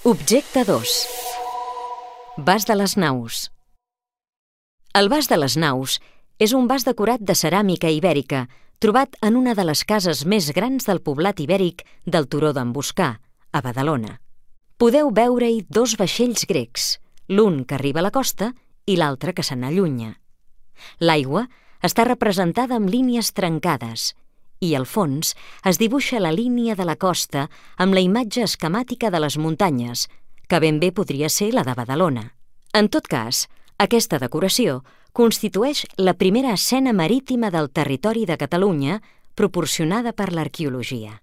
Objecte 2. Vas de les Naus. El Vas de les Naus és un vas decorat de ceràmica ibèrica trobat en una de les cases més grans del poblat ibèric del turó d'en Boscà, a Badalona. Podeu veure-hi dos vaixells grecs, l'un que arriba a la costa i l'altre que se n'allunya. L'aigua està representada amb línies trencades i al fons es dibuixa la línia de la costa amb la imatge esquemàtica de les muntanyes, que ben bé podria ser la de Badalona. En tot cas, aquesta decoració constitueix la primera escena marítima del territori de Catalunya proporcionada per l'arqueologia.